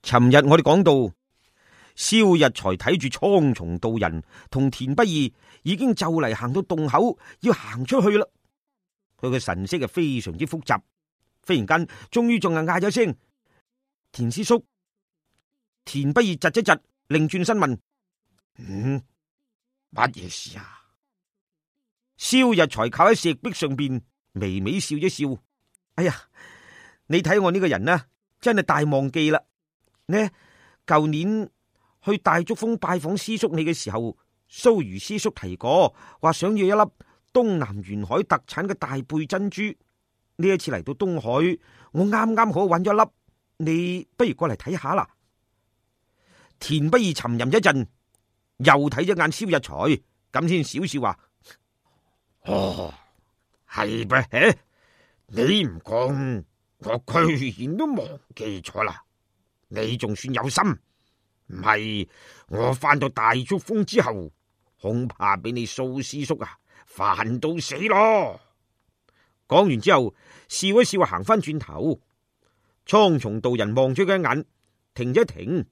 尋日我哋講到，蕭日才睇住蒼松道人同田不易已經就嚟行到洞口，要行出去啦。佢嘅神色係非常之複雜。忽然間，終於仲係嗌咗聲：田師叔。田不易窒一窒，擰轉身問：乜嘢事啊？蕭日才靠喺石壁上邊，微微笑一笑。哎呀，你睇我呢個人呢，真係大忘記啦。呢舊年去大竹峰拜訪師叔你嘅時候，蘇如師叔提過，話想要一粒東南沿海特產嘅大貝珍珠。呢一次嚟到東海，我啱啱好揾咗一粒，你不如過嚟睇下啦。田不易沉吟一陣，又睇咗眼蕭日才，咁先少少話：係咩？你唔講，我居然都忘記咗啦。你仲算有心，唔係我翻到大竹峰之後，恐怕俾你蘇師叔煩到死咯。講完之後，笑一笑行翻轉頭。蒼松道人望咗佢一眼，停一停，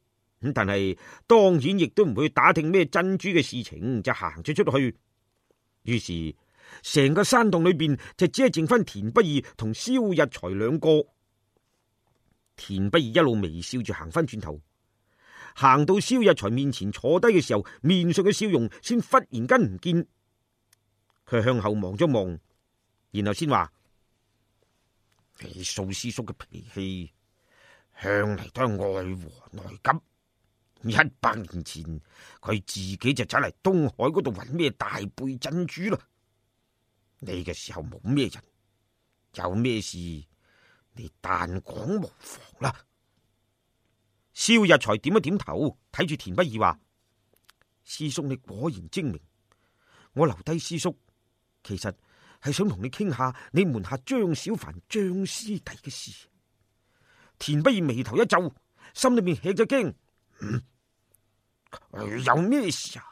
咁但係當然亦都唔會打聽咩珍珠嘅事情，就行咗出去。於是成個山洞裏邊就只係剩翻田不易同蕭日才兩個。田不易一路微笑住行翻轉頭，行到蕭日才面前坐低嘅時候，面上嘅笑容先忽然間唔見。佢向後望咗望，然後先話：你蘇師叔嘅脾氣向嚟都係愛和內急。100年前佢自己就走嚟東海嗰度揾咩大貝珍珠啦。呢個時候冇咩人，有咩事你但講無妨啦。蕭日才點一點頭，睇住田不易話：師叔你果然精明。我留低師叔，其實係想同你傾下你門下張小凡張師弟嘅事。田不易眉頭一皺，心裏面吃咗驚。有咩事啊？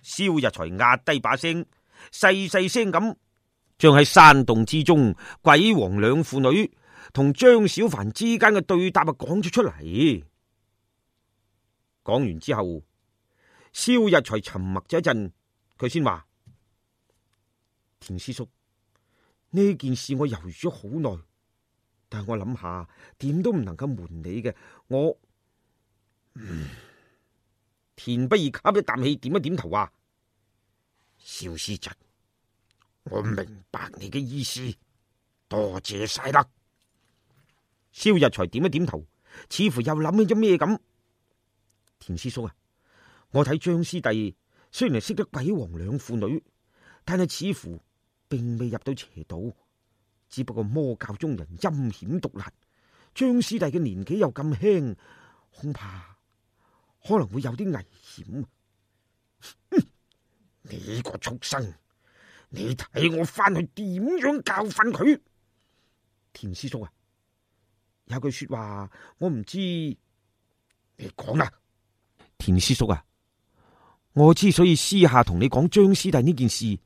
蕭日才壓低把聲，細細聲咁將喺山洞之中鬼王兩父女同張小凡之間嘅對答講咗出嚟。講完之後，蕭日才沉默咗一陣，佢先話：田師叔，呢件事我猶豫咗好耐，但係我諗下點都唔能夠瞞你嘅。我田不易吸一啖氣，點一點頭話：蕭師侄，我明白你嘅意思，多謝晒啦。蕭日才點一點頭，似乎又諗起咗咩咁。田師叔啊，我睇張師弟雖然係識得鬼王兩父女，但係似乎並未入到邪道，只不過魔教中人陰險毒辣，張師弟嘅年紀又咁輕，恐怕可能會有啲危險。你個畜生，你睇我翻去點樣教訓佢？田師叔啊，有句說話我唔知，你講啦。田師叔啊，我之所以私下同你講張師弟呢件事，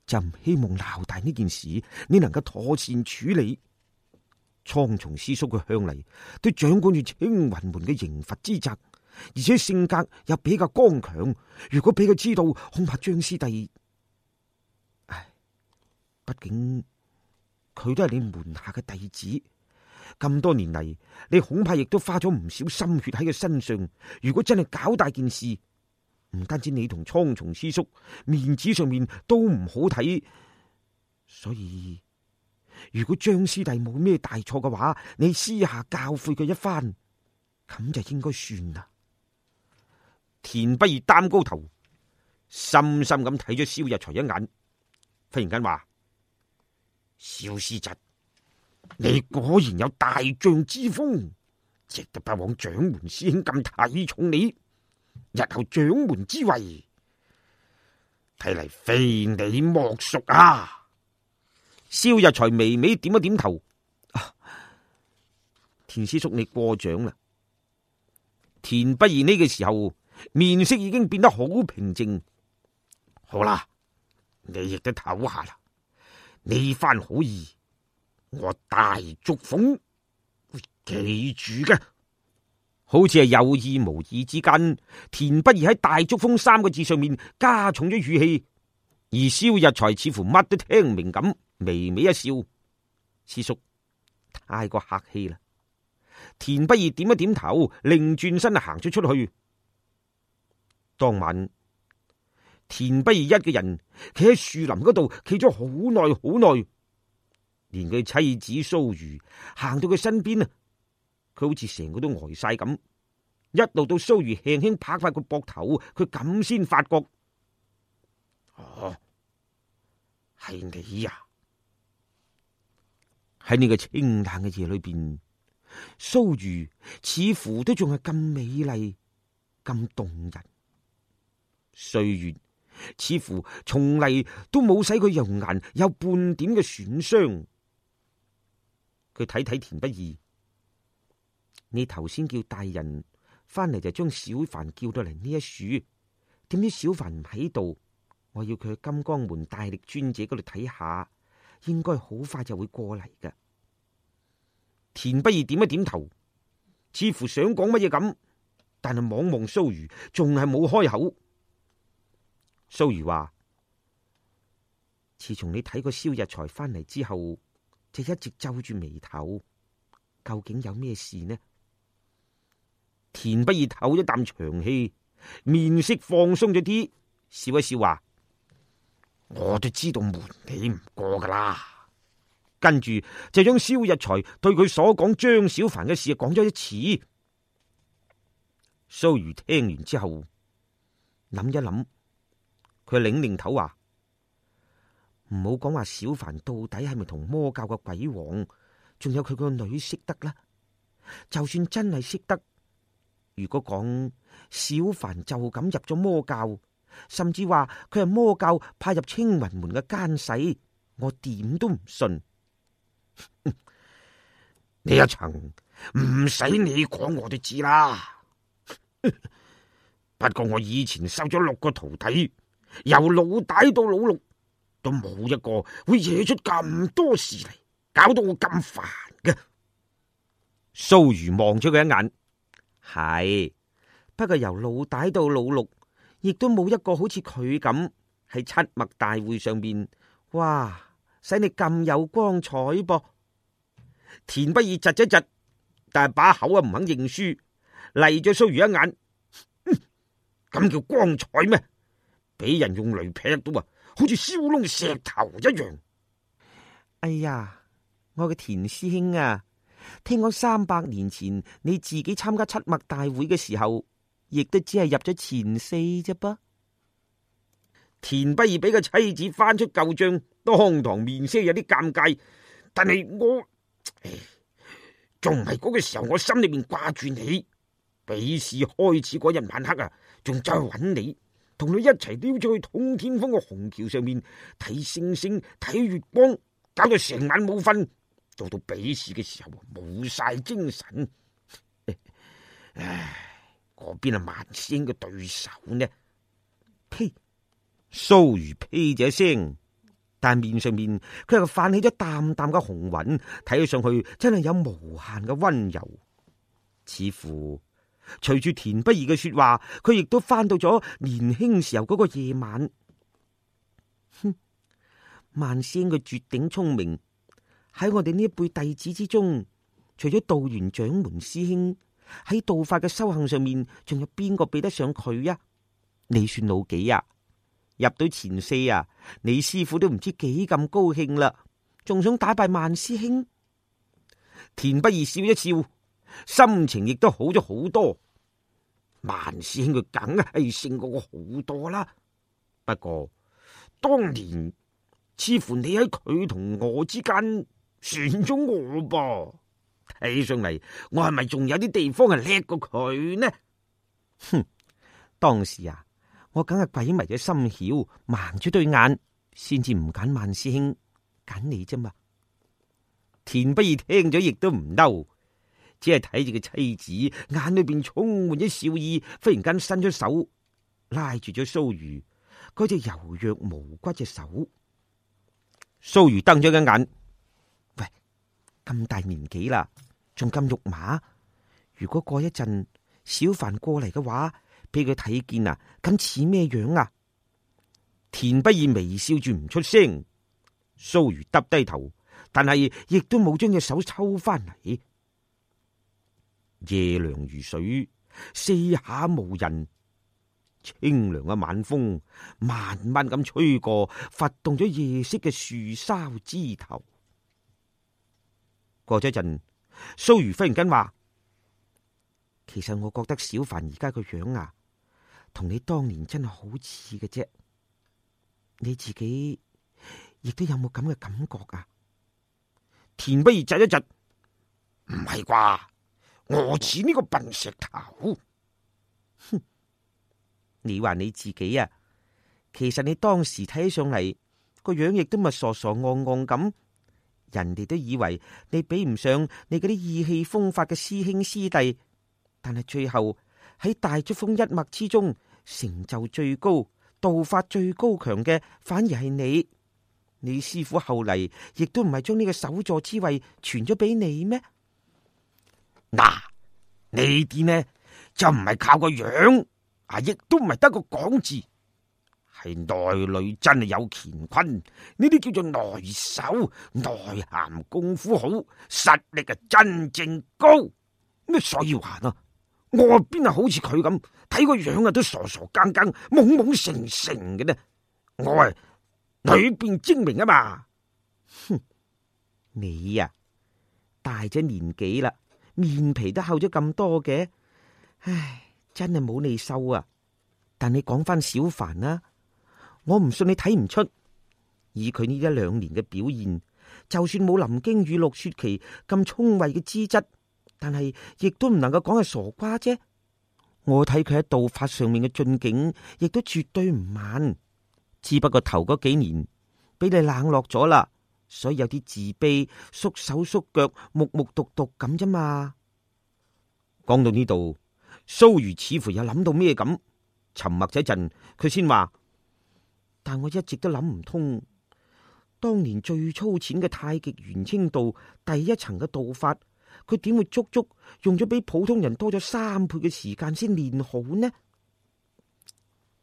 就唔希望鬧大呢件事你能夠妥善處理。蒼松師叔佢向嚟都掌管住青雲門嘅刑罰之責，而且性格又比較剛強，如果俾佢知道，恐怕張師弟，畢竟佢都係你門下嘅弟子，咁多年嚟，你恐怕亦都花咗唔少心血喺佢身上。如果真係搞大件事，唔單止你同蒼松師叔面子上面都唔好睇，所以如果張師弟冇咩大錯嘅話，你私下教誨佢一番，咁就應該算啦。田不易擔高頭，深深咁睇咗蕭日才一眼，忽然間話：蕭師侄，你果然有大將之風，值得不枉掌門師兄咁睇重你。日後掌門之位，睇嚟非你莫屬啊！蕭日才微微點一點頭。田師叔你過獎啦。田不易呢個時候面色已經變得好平靜。好啦，你亦都唞下啦。呢番好意，我大竹鳳會記住嘅。好似係有意無意之間，田不易喺大竹風三個字上面加重咗語氣，而蕭日才似乎乜都聽唔明咁，微微一笑：師叔太過客氣啦。田不易點一點頭，擰轉身行咗出去。當晚，田不易一個人企喺樹林嗰度，企咗好耐好耐，連佢妻子蘇瑜行到佢身邊啊，佢好似成個都呆晒咁。一路到蘇瑜輕輕拍翻個膊頭，佢咁先發覺，哦，係你呀！喺呢個清淡嘅夜裏邊，蘇瑜似乎都仲係咁美麗，咁動人。歲月似乎從嚟都冇使佢容顏有半點嘅損傷。佢睇睇田不易，你頭先叫大人翻嚟就將小凡叫到嚟呢一處，點知小凡唔喺度，我要佢去金剛門大力尊者嗰度睇下，應該好快就會過嚟㗎。田不易點一點頭，似乎想講乜嘢咁，但係望望蘇瑜，仲係冇開口。蘇瑜話：自從你睇過蕭日才翻嚟之後，就一直皺住眉頭，究竟有咩事呢？田不易唞一啖長氣，面色放鬆咗啲，笑一笑話：我都知道瞞你唔過噶啦。跟住就將蕭日才對佢所講張小凡嘅事講咗一次。蘇瑜聽完之後諗一諗，佢擰擰頭話：唔好講話小凡到底係咪同魔教嘅鬼王，仲有佢個女識得啦。就算真係識得，如果講小凡就咁入咗魔教，甚至話佢係魔教派入青雲門嘅奸細，我點都唔信。呢一層唔使你講我都知啦。不過我以前收咗6個徒弟，由老大到老六，都冇一個會惹出咁多事嚟，搞到我咁煩嘅。蘇瑜望咗佢一眼，係，不過由老大到老六，亦都冇一個好似佢咁喺七脈大會上面，哇，使你咁有光彩噃。田不易窒一窒，但係把口啊唔肯認輸，嚟咗蘇瑜一眼，咁叫光彩咩？俾人用雷劈到啊，好似燒燶石頭一樣。哎呀，我嘅田師兄啊，聽講300年前你自己參加七脈大會嘅時候，亦都只係入咗前4啫噃。田不易俾個妻子翻出舊賬，當堂面色有啲尷尬，但係我仲唔係嗰個時候，我心裏面掛住你。比試開始嗰日晚黑啊，仲再揾你，同你一齊溜咗去通天峰嘅虹橋上面睇星星、睇月光，搞到成晚冇瞓。到比試嘅時候冇晒精神。唉，嗰邊係萬師兄嘅對手呢？呸！蘇瑜呸咗一聲，但面上面佢又泛起咗淡淡嘅紅暈，睇起上去真係有無限嘅溫柔。似乎隨住田不易嘅說話，佢亦都翻到咗年輕時候嗰個夜晚。哼，萬師兄嘅絕頂聰明，喺我哋呢一輩弟子之中，除咗道元掌門師兄，喺道法嘅修行上面，仲有邊個比得上佢呀？你算老幾呀？入到前4啊，你師父都唔知幾咁高興啦，仲想打敗萬師兄。田不易笑一笑，心情亦都好咗好多。萬師兄佢梗係勝過我好多啦，不過當年似乎你喺佢同我之間選咗我噃，睇上嚟我係咪仲有啲地方係叻過佢呢？哼，當時啊，我梗係鬼迷咗心竅，盲咗對眼，先至唔揀萬師兄，揀你啫嘛。田不易聽咗亦都唔嬲，只係睇住個妻子眼裏邊充滿咗笑意，忽然間伸出手拉住咗蘇瑜嗰隻柔弱無骨嘅手。蘇瑜瞪咗一眼，喂，咁大年紀啦，仲咁肉麻，如果過一陣小凡過嚟嘅話，俾佢睇見啊，咁似咩樣啊？田不易微笑住唔出聲，蘇瑜耷低頭，但係亦都冇將隻手抽翻嚟。夜涼如水，四下無人，清涼嘅晚風慢慢咁吹過，拂動咗夜色嘅樹梢枝頭。過咗一陣，蘇瑜忽然間話：其實我覺得小凡而家個樣啊，同你當年真係好似嘅啫。你自己亦都有冇咁嘅感覺啊？田不易窒一窒，唔係啩？我似呢個笨石頭？哼！你話你自己啊，其實你當時睇起上嚟個樣亦都咪傻傻戇戇咁，人哋都以為你比唔上你嗰啲意氣風發嘅師兄師弟，但係最後喺大竹風一脈之中，成就最高、道法最高強嘅，反而係你。你師傅後嚟亦都唔係將呢個首座之位傳咗俾你咩？嗱，呢啲呢就唔係靠個樣啊，亦都唔係得個講字，係內裏真係有乾坤。呢啲叫做內手，內涵功夫好，實力啊真正高。咁所以話啊，我邊係好似佢咁睇個樣啊，都傻傻更更、懵懵成成嘅呢。我係裏邊精明啊嘛。哼，你呀大咗年紀啦，面皮都厚咗咁多嘅，唉，真係冇你收啊！但你講翻小凡啦，我唔信你睇唔出，以佢呢一兩年嘅表現，就算冇林驚與陸雪琪咁聰慧嘅資質，但係亦都唔能夠講係傻瓜啫。我睇佢喺道法上面嘅進境，亦都絕對唔慢，只不過頭嗰幾年俾你冷落咗啦，所以有啲自卑、縮手縮腳、木木獨獨咁啫嘛。講到呢度，蘇瑜似乎有諗到咩咁，沉默咗一陣，佢先話：但我一直都諗唔通，當年最粗淺嘅太極元清道第一層嘅道法，佢點會足足用咗比普通人多咗3倍嘅時間先練好呢？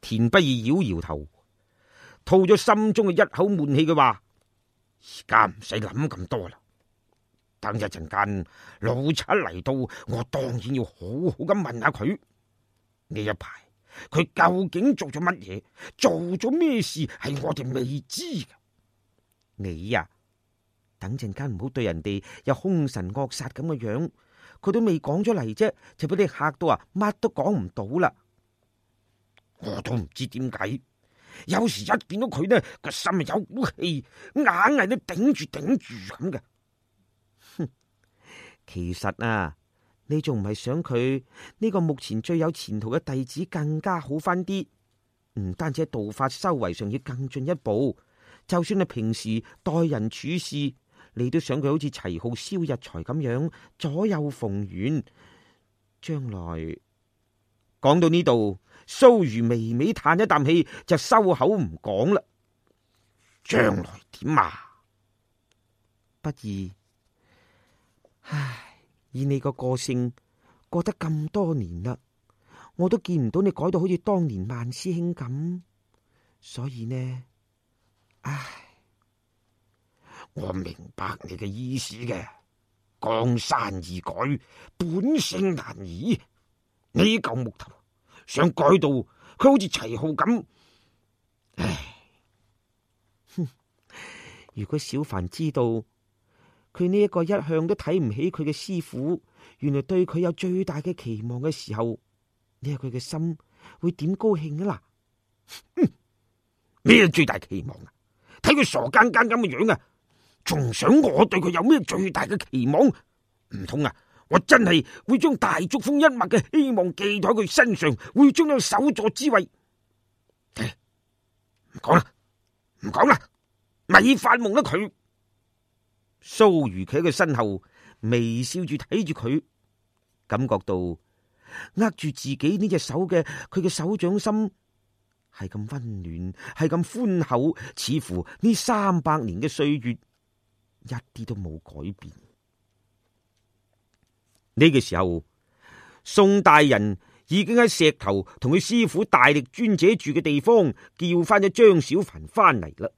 田不易搖搖頭，吐咗心中嘅一口悶氣，佢話：而家唔使諗咁多啦，等一陣間老七嚟到，我當然要好好咁問下佢呢一排佢究竟做咗乜嘢，做咗咩事係我哋未知嘅。你呀，等陣間唔好對人哋有凶神惡煞咁嘅樣，佢都未講咗嚟啫，就俾你嚇到啊，乜都講唔到啦。我都唔知點解，有時一見到佢呢個心有股氣，硬係都頂住咁嘅。哼，其實啊，你仲唔係想佢呢個目前最有前途嘅弟子更加好翻啲？唔單止喺道法修為上要更進一步，就算係平時待人處事，你都想佢好似齊浩、蕭日才咁樣左右逢源。將來講到呢度，蘇瑜微微嘆一啖氣，就收口唔講啦。將來點啊？不易，唉，以你個個性過得咁多年啦，我都見唔到你改到好似當年萬師兄咁，所以呢，唉，我明白你嘅意思嘅。江山易改，本性難移。呢嚿木頭想改到佢好似齊浩咁，唉，哼！如果小凡知道佢呢一個一向都睇唔起佢嘅師傅，原來對佢有最大嘅期望嘅時候，你話佢嘅心會點高興啊？嗱，咩最大期望啊？睇佢傻更更咁嘅樣啊，仲想我對佢有咩最大嘅期望？唔通啊？我真係會將大竹風一脈嘅希望寄喺佢身上，會將有首座之位？唔講啦，唔講啦，咪發夢啦佢。蘇瑜企喺佢身後，微笑住睇住佢，感覺到握住自己呢隻手嘅佢嘅手掌心係咁溫暖，係咁寬厚，似乎呢300年嘅歲月一啲都冇改變。呢個時候，宋大人已經喺石頭同佢師傅大力尊者住嘅地方叫翻咗張小凡翻嚟啦。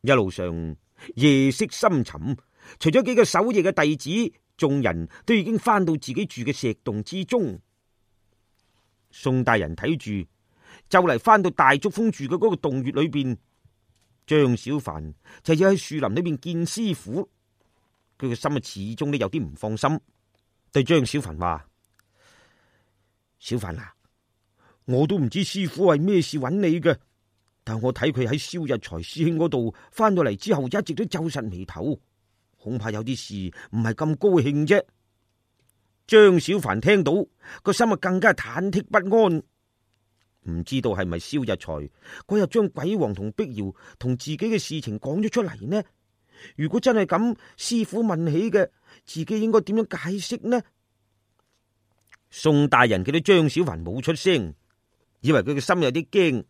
一路上夜色深沉，除咗幾個守夜嘅弟子，眾人都已經翻到自己住嘅石洞之中。宋大人睇住就嚟翻到大竹峰住嘅嗰個洞穴裏邊，張小凡就要喺樹林裏邊見師傅。佢嘅心啊始終都有啲唔放心，對張小凡話：小凡啊，我都唔知師傅係咩事揾你嘅，但我睇佢喺蕭日才師兄嗰度翻到嚟之後，一直都皺實眉頭，恐怕有啲事唔係咁高興啫。張小凡聽到個心啊更加忐忑不安，唔知道係咪蕭日才嗰日將鬼王同碧瑤同自己嘅事情講咗出嚟呢？如果真係咁，師傅問起嘅，自己應該點樣解釋呢？宋大人見到張小凡冇出聲，以為佢嘅心有啲驚，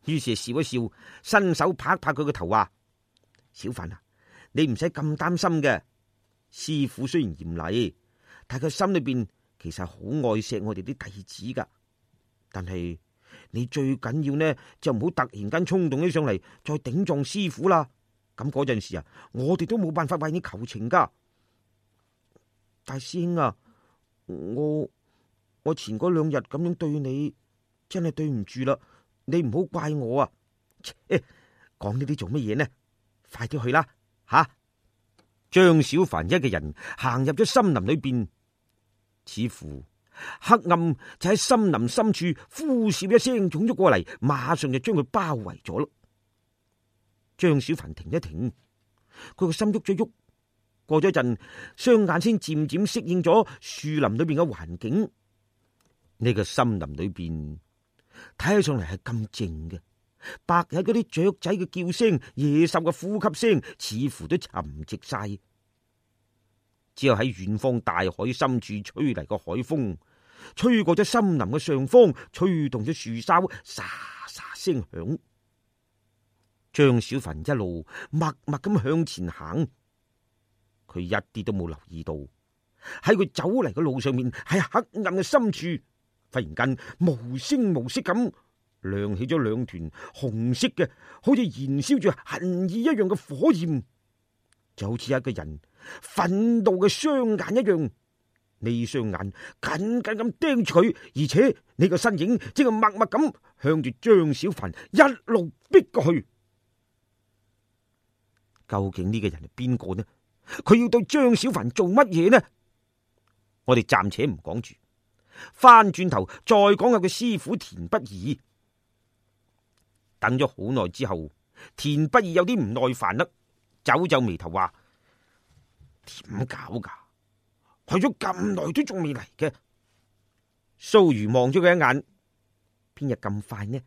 於是笑一笑，伸手拍拍佢個頭，話：小凡啊，你唔使咁擔心嘅。師傅雖然嚴厲，但佢心裏邊其實好愛錫我哋啲弟子噶。但係你最緊要呢，就唔好突然間衝動起上嚟，再頂撞師傅啦。咁嗰陣時啊，我哋都冇辦法為你求情噶。大師兄啊，我前嗰2日咁樣對你，真係對唔住啦，你唔好怪我啊。講呢啲做乜嘢呢？快啲去啦吓！張小凡一個人行入咗森林裏邊，似乎黑暗就喺森林深處呼嘯一聲湧咗過嚟，馬上就將佢包圍咗咯。張小凡停一停，佢個心喐咗喐，過咗陣，雙眼先漸漸適應咗樹林裏邊嘅環境。呢個森林裏邊睇起上嚟係咁靜嘅，白日嗰啲雀仔嘅叫聲、野獸嘅呼吸聲，似乎都沉寂晒。只有喺遠方大海深處吹嚟個海風，吹過咗森林嘅上方，吹動咗樹梢，沙沙聲響。張小凡一路默默咁向前行，佢一啲都冇留意到喺佢走嚟嘅路上面，喺黑暗嘅深處，忽然間無聲無息咁亮起咗2團紅色嘅，好似燃燒住恨意一樣嘅火焰，就好似一個人憤怒嘅雙眼一樣。呢雙眼緊緊咁盯住佢，而且呢個身影正係默默咁向住張小凡一路逼過去。究竟呢個人係邊個呢？佢要對張小凡做乜嘢呢？我哋暫且唔講住，翻轉頭再講下佢師傅田不二。等咗好耐之後，田不二有啲唔耐煩啦，皺皺眉頭話：點搞噶？去咗咁耐都仲未嚟嘅。蘇瑜望咗佢一眼，邊日咁快呢？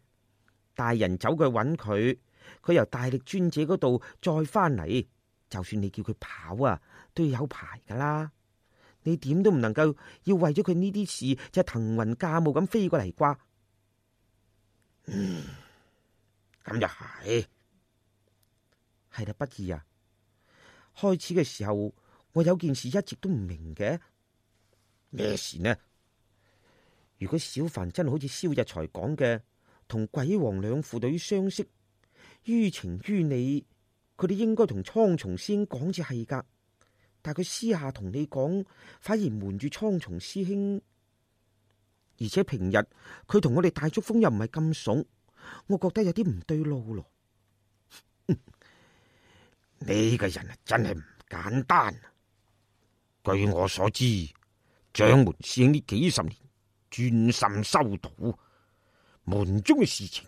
大人走過去揾佢，佢由大力尊者嗰度再翻嚟，就算你叫佢跑啊，都要有排噶啦。你點都唔能夠要為咗佢呢啲事就騰雲駕霧咁飛過嚟啩？咁又係啦，不二啊！開始嘅時候，我有件事一直都唔明嘅。咩事呢？如果小凡真係好似蕭日才講嘅，同鬼王兩父女相識，於情於理，佢哋應該同蒼松師兄講至係噶。但佢私下同你講，反而瞞住蒼松師兄，而且平日佢同我哋大竹峰又唔係咁熟，我覺得有啲唔對路咯。呢個人啊，真係唔簡單。據我所知，掌門師兄呢幾十年專心修道，門中嘅事情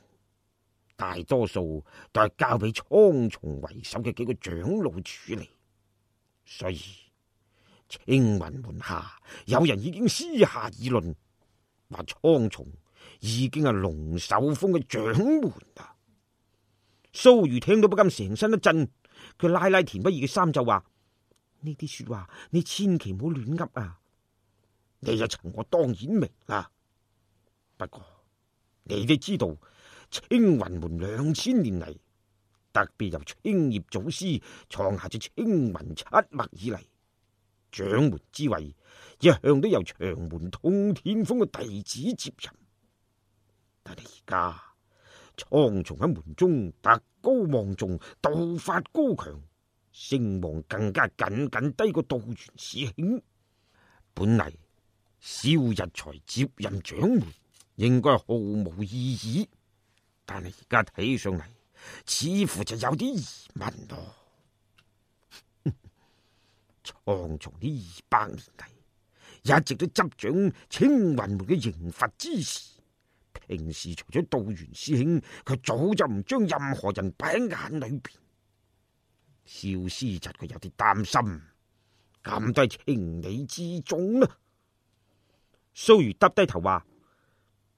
大多數都係交俾蒼松為首嘅幾個長老處理，所以青雲門下有人已經私下議論，話蒼松已經係龍首峰嘅掌門啊！蘇瑜聽到不禁成身一震，佢拉拉田不二嘅衫就話：呢啲說話你千祈唔好亂噏啊！你一層我當然明啦，不過你都知道青雲門2000年嚟，特別由青葉祖師創下咗青雲7脈以嚟，掌門之位一向都由長門通天鋒嘅弟子接任，但係而家蒼松喺門中德高望重，道法高強，聲望更加僅僅低過道元師兄。本嚟蕭日才接任掌門應該毫無異議，但係而家睇上嚟似乎就有啲疑問咯。蒼松呢200年嚟一直都執掌青雲門嘅刑罰之事，平時除咗道元師兄，佢早就唔將任何人擺喺眼裏邊。蕭師侄佢有啲擔心，咁都係情理之中啦。蘇瑜耷低頭話：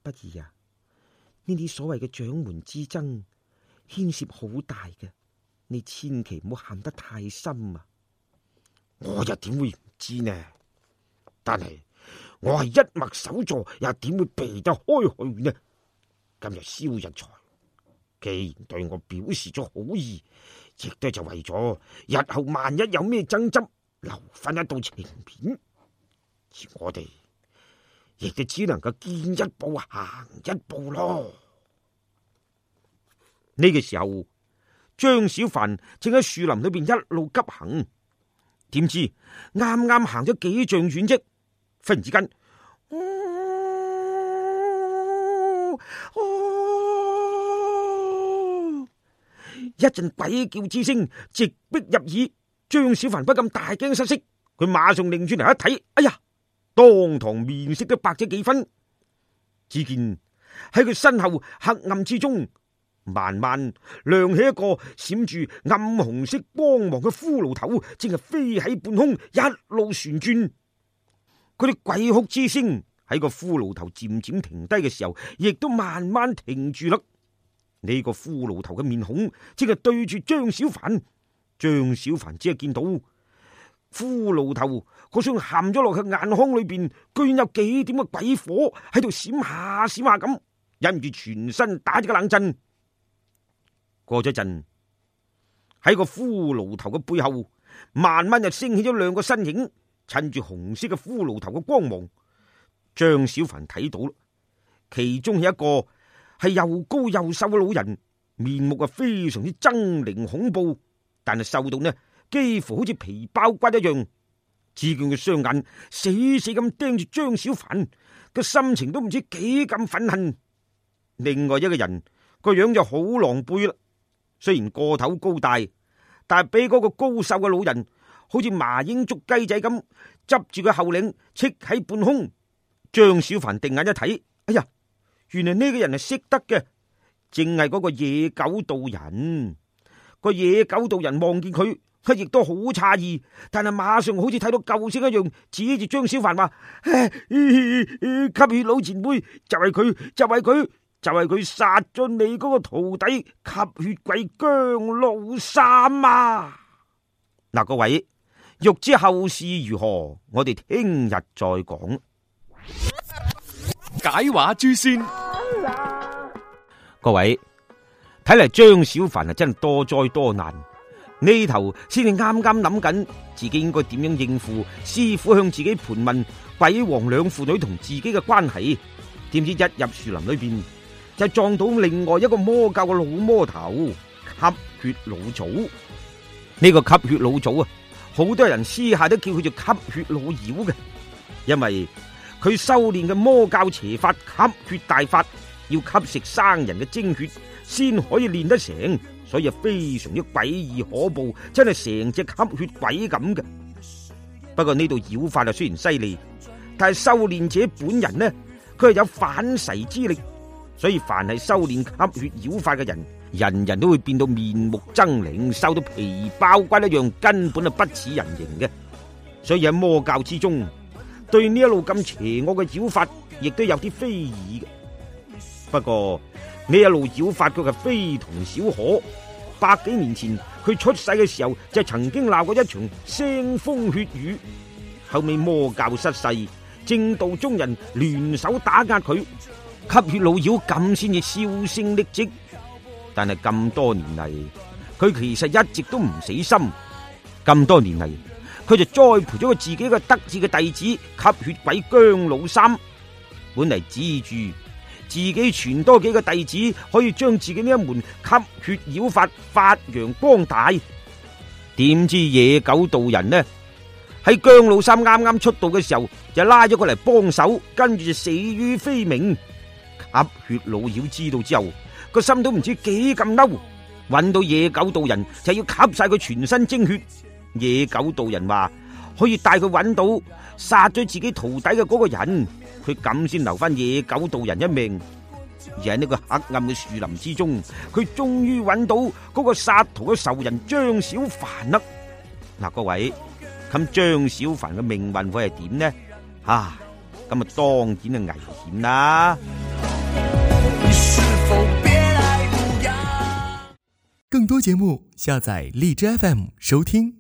不二啊，呢啲所謂嘅掌門之爭牽涉好大嘅，你千祈唔好陷得太深啊！我又點會唔知呢？但係我係一脈首座，又點會避得開去呢？今日蕭日才既然對我表示咗好意，亦都就為咗日後萬一有咩爭執，留翻一道情面。而我哋亦都只能夠見一步行一步咯。呢個時候，張小凡正喺樹林裏邊一路急行，點知啱啱行咗幾丈遠啫，忽然之間，一陣鬼叫之聲直逼入耳，張小凡不禁大驚失色，佢馬上擰轉嚟一睇，哎呀，當堂面色都白咗幾分。只見喺佢身後黑暗之中，慢慢亮起一個閃住暗紅色光芒嘅骷髏頭，正係飛喺半空，一路旋轉。嗰啲鬼哭之聲喺個骷髏頭漸漸停低嘅時候，亦都慢慢停住啦。呢個骷髏頭嘅面孔正係對住張小凡，張小凡只係見到骷髏頭嗰雙陷咗落去眼眶裏邊，居然有幾點嘅鬼火喺度閃下閃下咁，忍唔住全身打咗個冷震。過咗陣，喺個骷髏頭嘅背後，慢慢就升起咗2個身影，趁住紅色嘅骷髏頭嘅光芒，張小凡睇到啦，其中係一個係又高又瘦嘅老人，面目啊非常之猙獰恐怖，但係瘦到呢幾乎好似皮包骨一樣。只見佢雙眼死死咁盯住張小凡，個心情都唔知幾咁憤恨。另外一個人個樣就好狼狽啦，雖然個頭高大，但係比嗰個高瘦嘅老人好似麻鷹捉雞仔咁，執住個後領戚喺半空。張小凡定眼一睇，哎呀，原來呢個人係識得嘅，正係嗰個野狗道人。個野狗道人望見佢，佢亦都好詫異，但係馬上好似睇到救星一樣，指住張小凡話：吸血老前輩，就係佢，就係佢，就係佢殺咗你嗰個徒弟吸血鬼姜老三啊！嗱，各位欲知後事如何，我哋聽日再講。解話諸仙，各位睇嚟張小凡啊真係多災多難，呢頭先至啱啱諗緊自己應該點樣應付師傅向自己盤問鬼王兩父女同自己嘅關係，點知一入樹林裏邊就撞到另外一個魔教嘅老魔頭吸血老祖。呢個吸血老祖啊，好多人私下都叫佢做吸血老妖嘅，因為佢修煉嘅魔教邪法吸血大法，要吸食生人嘅精血先可以練得成，所以非常之詭異可怖，真係成隻吸血鬼咁嘅。不過呢度妖法啊雖然犀利，但係修煉者本人呢，佢係有反噬之力，所以凡係修煉吸血妖法嘅人，人人都會變到面目猙獰，瘦到皮包骨一樣，根本係不似人形嘅。所以喺魔教之中，對呢一路咁邪惡嘅妖法，亦都有啲非議嘅。不過呢一路妖法佢係非同小可。100幾年前佢出世嘅時候，就曾經鬧過一場腥風血雨。後尾魔教失勢，正道中人聯手打壓佢，吸血老妖咁先至銷聲匿跡。但係咁多年嚟，佢其實一直都唔死心。咁多年嚟，佢就栽培咗佢自己嘅得志嘅弟子吸血鬼姜老三，本嚟指住自己傳多幾個弟子可以將自己呢一門吸血妖法發揚光大。點知野狗道人呢，喺姜老三啱啱出道嘅時候就拉咗佢嚟幫手，跟住就死於非命。吸血老妖知道之後，個心都唔知幾咁嬲，揾到野狗道人就要吸晒佢全身精血。野狗道人話可以帶佢揾到殺咗自己徒弟嘅嗰個人，佢咁先留翻野狗道人一命。而喺呢個黑暗嘅樹林之中，佢終於揾到嗰個殺徒嘅仇人張小凡啦。嗱，各位，咁張小凡嘅命運會係點呢？咁啊當然係危險啦。更多節目下載荔枝 FM 收聽。